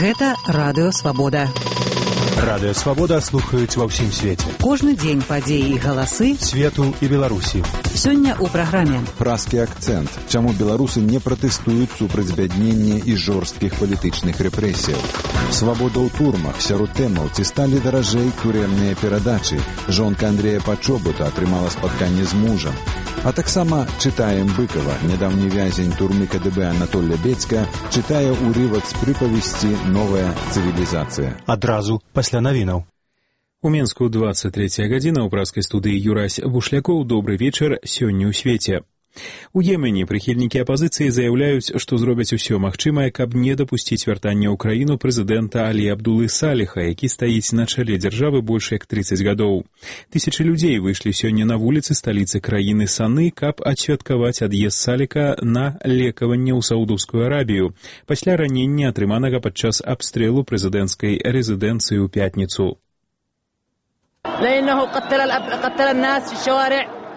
Гэта Радыё Свабода. Радыё Свабода слухаюць ва ўсім свеце. Кожны дзень падзеі і галасы свету і Беларусі. Сёння ў праграме празкі акцэнт. Чаму беларусы не пратэстуюць супраць збяднення і жорсткіх палітычных рэпрэсіяў? Свабода ў турмах. Сярод тэмаў, ці сталі даражэй турэмныя перадачы. Жонка Андрэя Пачобута атрымала спатканне з мужам. А таксама чытаем Быкова. Нядаўні вязень турмы КДБ Анатолля Бецька чытае ўрывак з прыпавесці «Новая цывілізацыя». Адразу пасля навінаў. У Менску 23 гадзіна, ў празкай студыі Юрась Бушлякоў. Добры вечар сёння ў свеце. У Йемене прыхільнікі апазіцыі заяўляюць, што зробяць усё магчымае, каб не дапусціць вяртання ў краіну прэзідэнта Алі Абдулы Саліха, які стаіць на чале дзяржавы больш як 30 гадоў. Тысячы людзей выйшлі сёння на вуліцы сталіцы краіны Саны, каб адсвяткаваць ад'езд Саліха на лекаванне ў Саудаўскую Арабію пасля ранення, атрыманага падчас абстрэлу прэзідэнцкай рэзідэнцыі ў пятніцу.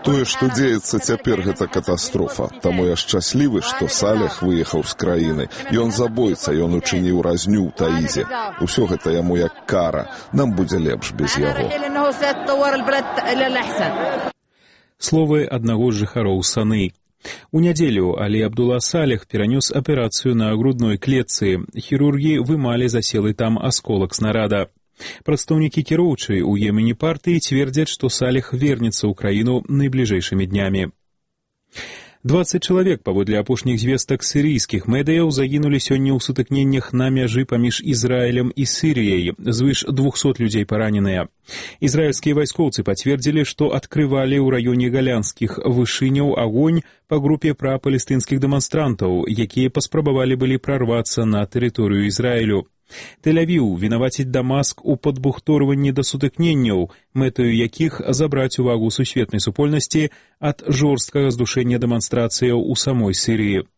Тое, што дзеецца цяпер, гэта катастрофа. Таму я шчаслівы, што Саліх выехаў з краіны. Ён забойца, ён учыніў разню ў Таізе. Усё гэта яму як кара. Нам будзе лепш без яго. Словы аднаго з жыхароў Саны. У нядзелю Алі Абдула Саліх перанёс аперацыю на грудной клетцы. Хірургі вымалі заселы там асколак снарада. Прадстаўнікі кіроўчай у Йемене партыі цвердзяць, што Саліх вернецца ў краіну найбліжэйшымі днямі. 20 чалавек, паводле апошніх звестак сірыйскіх медыяў, загінулі сёння ў сутыкненнях на мяжы паміж Ізраілем і Сірыяй. Звыш 200 людзей параненыя. Ізраільскія вайскоўцы пацвердзілі, што адкрывалі ў раёне галянскіх вышыняў агонь па групе прапалестынскіх дэманстрантаў, якія паспрабавалі былі прарвацца на тэрыторыю Ізраілю. Тель-Авіў вінаваціць Дамаск у падбухторванні да сутыкненняў, мэтаю якіх забраць увагу сусветнай супольнасці ад жорсткага здушэння дэманстрацыяў у самой Сірыі.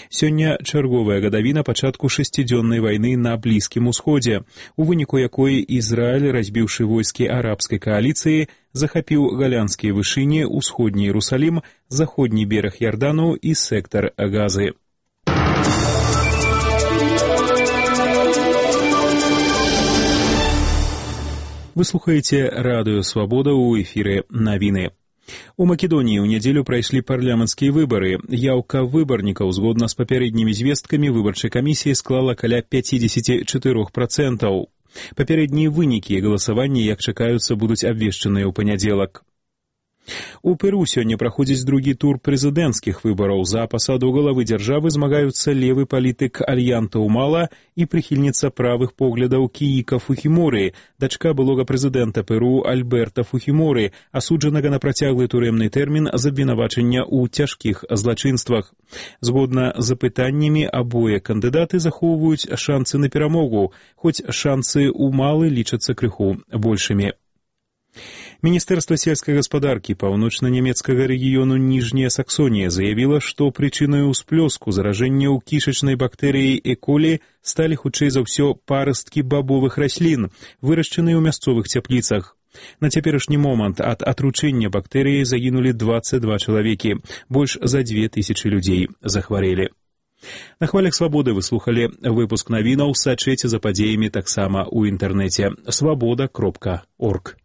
Сёння чарговая гадавіна пачатку 6-дзённай вайны на Блізкім Усходзе, у выніку якой Ізраіль, разбіўшы войскі арабскай кааліцыі, захапіў галянскія вышыні, усходні Іерусалім, заходні бераг Ярдану і сектар Газы. Вы слухаеце Радыё Свабода, ў эфіры навіны. У Македоніі ў нядзелю прайшлі парламенцкія выбары. Яўка выбарнікаў, згодна з папярэднімі звесткамі, выбарчай камісіі склала каля 54%. Папярэднія вынікі галасавання, як чакаюцца, будуць абвешчаныя ў панядзелак. У Перу сёння праходзіць другі тур прэзідэнцкіх выбараў. За пасаду главы дзяржавы змагаюцца левы палітык Альянта Умала і прыхільніца правых поглядаў Кііка Фухіморы, дачка былога прэзідэнта Перу Альберта Фухіморы, асуджанага на працяглы турэмны тэрмін з абвінавачання ў цяжкіх злачынствах. Згодна з апытаннямі, абое кандыдаты захоўваюць шанцы на перамогу, хоць шанцы Умалы лічацца крыху большымі. Міністэрства сельскай гаспадаркі паўночна-нямецкага рэгіёну Ніжняя Саксонія заявіла, што прычынаю ўсплёску заражэнняў кішачнай бактэрыяй Э-колі сталі хутчэй за ўсё парасткі бабовых раслін, вырашчаныя ў мясцовых цяпліцах. На цяперашні момант ад атручэння бактэрыяй загінулі 22 чалавекі, больш за 2000 людзей захварэлі. На хвалях Свабоды вы слухалі выпуск навінаў, сачыце за падзеямі таксама ў інтэрнэце свабода.орг.